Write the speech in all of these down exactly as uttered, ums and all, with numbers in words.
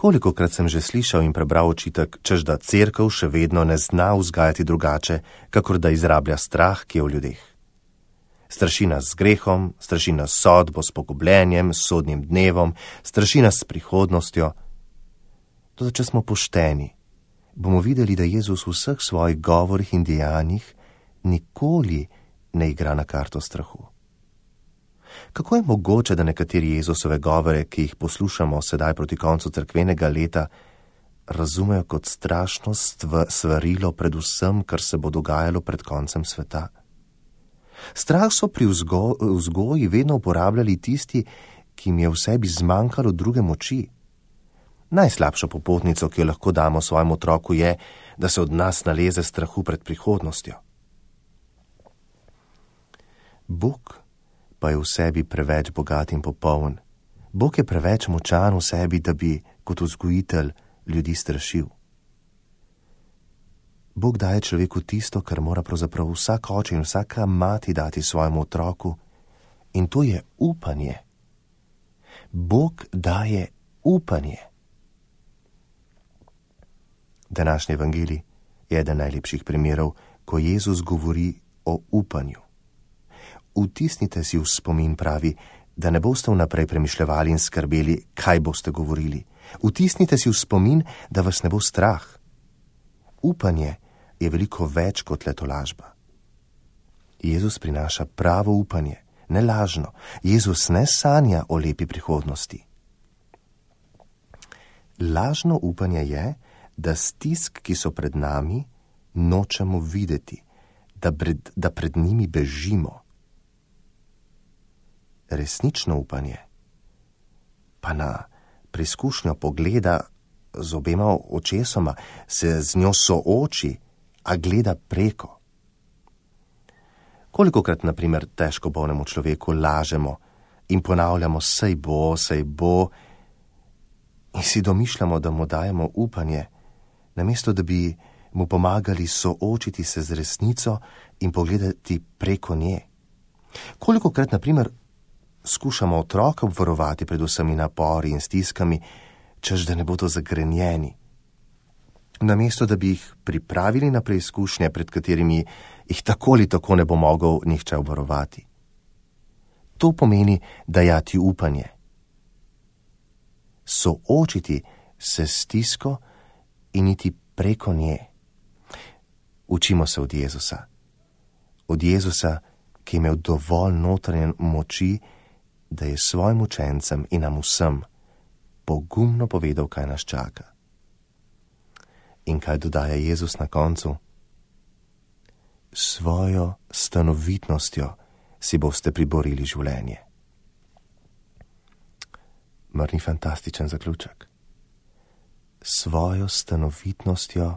Kolikokrat sem že slišal in prebral očitek, češ da cerkev še vedno ne zna vzgajati drugače, kakor da izrablja strah, ki je v ljudeh. Straši nas z grehom, straši nas s sodbo, s pogubljenjem, s sodnim dnevom, straši nas s prihodnostjo. Toda če smo pošteni, bomo videli, da Jezus v vseh svojih govorih in dejanjih nikoli ne igra na karto strahu. Kako je mogoče, da nekateri Jezusove govore, ki jih poslušamo sedaj proti koncu cerkvenega leta, razumejo kot strašno svarilo pred vsem, kar se bo dogajalo pred koncem sveta? Strah so pri vzgo vzgoji vedno uporabljali tisti, ki jim je v sebi zmanjkalo druge moči. Najslabšo popotnico, ki jo lahko damo svojemu otroku, je, da se od nas naleze strahu pred prihodnostjo. Bog pa je v sebi preveč bogat in popoln. Bog je preveč močan v sebi, da bi kot vzgojitelj ljudi strašil. Bog daje človeku tisto, kar mora pravzaprav vsak oče in vsaka mati dati svojemu otroku, in to je upanje. Bog daje upanje. Današnji evangelij je eden najlepših primerov, ko Jezus govori o upanju. Vtisnite si v spomin, pravi, da ne boste vnaprej premišljevali in skrbeli, kaj boste govorili. Vtisnite si v spomin, da vas ne bo strah. Upanje je veliko več kot le tolažba. Jezus prinaša pravo upanje, ne lažno. Jezus ne sanja o lepi prihodnosti. Lažno upanje je, da stisk, ki so pred nami, nočemo videti, da pred, da pred njimi bežimo. Resnično upanje pa na preizkušnjo pogleda z obema očesoma, se z njo sooči, a gleda preko. Kolikokrat, na primer, težko bolnemu človeku lažemo in ponavljamo, sej bo, sej bo, in si domišljamo, da mu dajemo upanje, namesto da bi mu pomagali soočiti se z resnico in pogledati preko nje. Kolikokrat, na primer, skušamo otroka obvarovati pred vsemi napori in stiskami, češ da ne bodo zagrenjeni, namesto da bi jih pripravili na preizkušnje, pred katerimi jih tako ali tako ne bo mogel nihče obvarovati. To pomeni dajati upanje. Soočiti se s stisko in iti preko nje. Učimo se od Jezusa. Od Jezusa, ki je imel dovolj notranje moči, da je svojim učencem in nam vsem pogumno povedal, kaj nas čaka. In kaj dodaja Jezus na koncu? Svojo stanovitnostjo si boste priborili življenje. Mar ni fantastičen zaključek? Svojo stanovitnostjo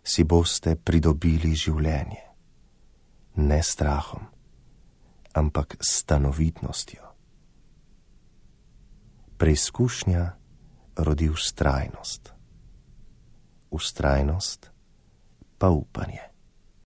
si boste pridobili življenje. Ne strahom, ampak stanovitnostjo. Preizkušnja rodi vztrajnost. Vztrajnost pa upanje.